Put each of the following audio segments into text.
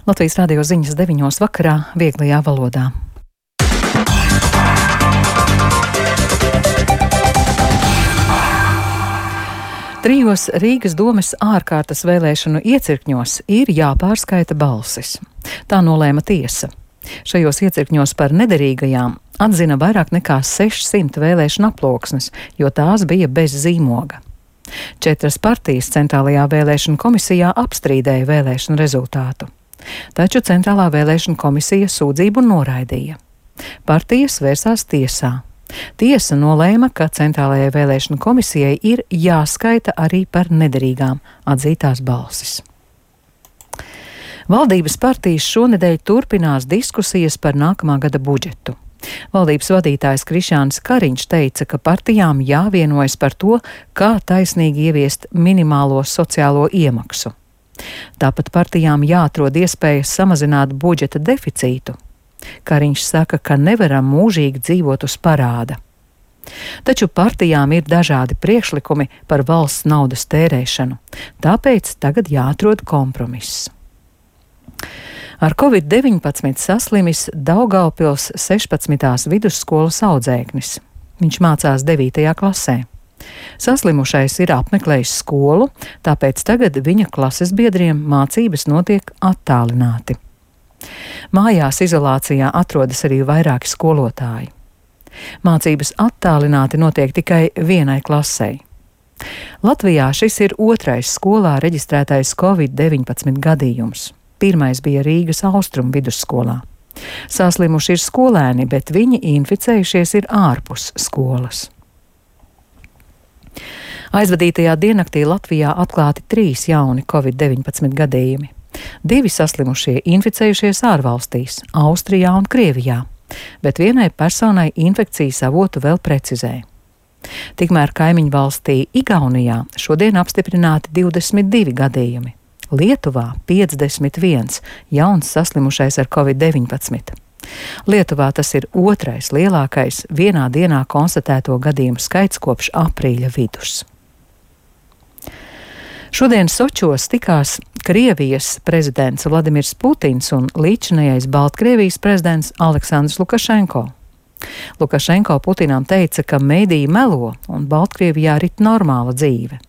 Latvijas radio ziņas 9 vakarā vieglajā valodā. Trijos Rīgas domes ārkārtas vēlēšanu iecirkņos ir jāpārskaita balsis. Tā nolēma tiesa. Šajos iecirkņos par nederīgajām atzina vairāk nekā 600 vēlēšanu aploksnes, jo tās bija bez zīmoga. 4 partijas Centrālajā vēlēšanu komisijā apstrīdēja vēlēšanu rezultātu. Taču Centrālā vēlēšanu komisija sūdzību noraidīja. Partijas vērsās tiesā. Tiesa nolēma, ka Centrālajai vēlēšanu komisijai ir jāskaita arī par nederīgām atzītās balsis. Valdības partijas šonedēļ turpinās diskusijas par nākamā gada budžetu. Valdības vadītājs Krišjānis Kariņš teica, ka partijām jāvienojas par to, kā taisnīgi ieviest minimālo sociālo iemaksu. Tāpat partijām jāatrod iespējas samazināt budžeta deficītu. Kariņš saka, ka nevaram mūžīgi dzīvot uz parāda. Taču partijām ir dažādi priekšlikumi par valsts naudas tērēšanu, tāpēc tagad jāatrod kompromiss. Ar Covid-19 saslimis Daugavpils 16. vidusskolas audzēknis. Viņš mācās 9. klasē. Saslimušais ir apmeklējis skolu, tāpēc tagad viņa klases biedriem mācības notiek attālināti. Mājās izolācijā atrodas arī vairāki skolotāji. Mācības attālināti notiek tikai vienai klasei. Latvijā šis ir 2. skolā reģistrētais Covid-19 gadījums. 1. bija Rīgas Austrumu vidusskolā. Saslimuši ir skolēni, bet viņi inficējušies ir ārpus skolas. Aizvadītajā diennaktī Latvijā atklāti 3 jauni Covid-19 gadījumi. 2 saslimušie inficējušies ārvalstīs, Austrijā un Krievijā, bet vienai personai infekcijas avotu vēl precizē. Tikmēr kaimiņu valstī Igaunijā šodien apstiprināti 22 gadījumi. Lietuvā 51 jauns saslimušais ar Covid-19. Lietuvā tas ir 2. lielākais vienā dienā konstatēto gadījumu skaits kopš aprīļa vidus. Šodien Sočos tikās Krievijas prezidents Vladimirs Putins un līdzinājais Baltkrievijas prezidents Aleksandrs Lukašenko. Lukašenko Putinam teica, ka mediji melo un Baltkrievijā rit normāla dzīve.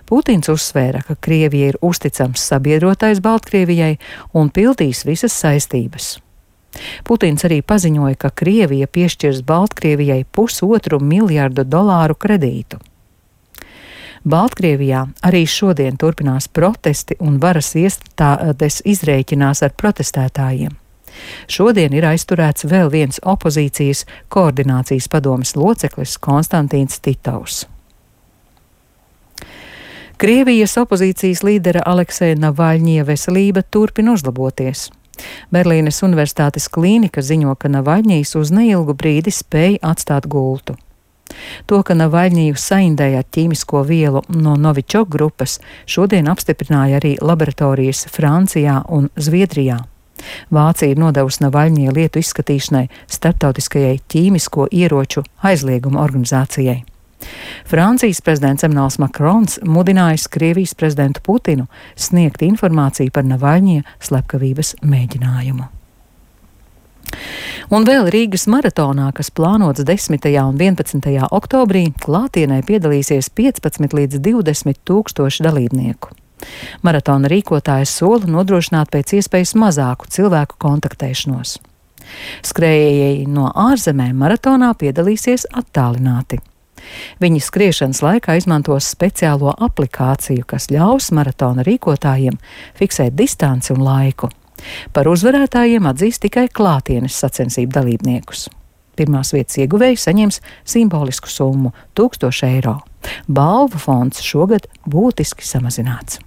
Putins uzsvēra, ka Krievija ir uzticams sabiedrotais Baltkrievijai un pildīs visas saistības. Putins arī paziņoja, ka Krievija piešķirs Baltkrievijai $1,5 miljardu kredītu. Baltkrievijā arī šodien turpinās protesti un varas iestādes izrēķinās ar protestētājiem. Šodien ir aizturēts vēl viens opozīcijas koordinācijas padomes loceklis Konstantīns Titovs. Krievijas opozīcijas līdera Alekseja Navaļņija veselība turpina uzlaboties. Berlīnes Universitātes klīnika ziņo, ka Navaļņijs uz neilgu brīdi spēja atstāt gultu. To, ka Navaļņiju saindēja ar ķīmisko vielu no Novičok grupas, šodien apstiprināja arī laboratorijas Francijā un Zviedrijā. Vācija ir nodevusi Navaļņija lietu izskatīšanai starptautiskajai ķīmisko ieroču aizlieguma organizācijai. Francijas prezidents Emmanuels Makrons mudinājis Krievijas prezidentu Putinu sniegt informāciju par Navaļņija slepkavības mēģinājumu. Un vēl Rīgas maratonā, kas plānots 10. un 11. oktobrī, klātienē piedalīsies 15 līdz 20 tūkstoši dalībnieku. Maratona rīkotājs sola nodrošināt pēc iespējas mazāku cilvēku kontaktēšanos. Skrējēji no ārzemēm maratonā piedalīsies attālināti. Viņi skriešanas laikā izmantos speciālo aplikāciju, kas ļaus maratona rīkotājiem fiksēt distanci un laiku. Par uzvarētājiem atzīs tikai klātienes sacensību dalībniekus. Pirmās vietas ieguvēji saņems simbolisku summu – 1000 eiro. Balvu fonds šogad būtiski samazināts.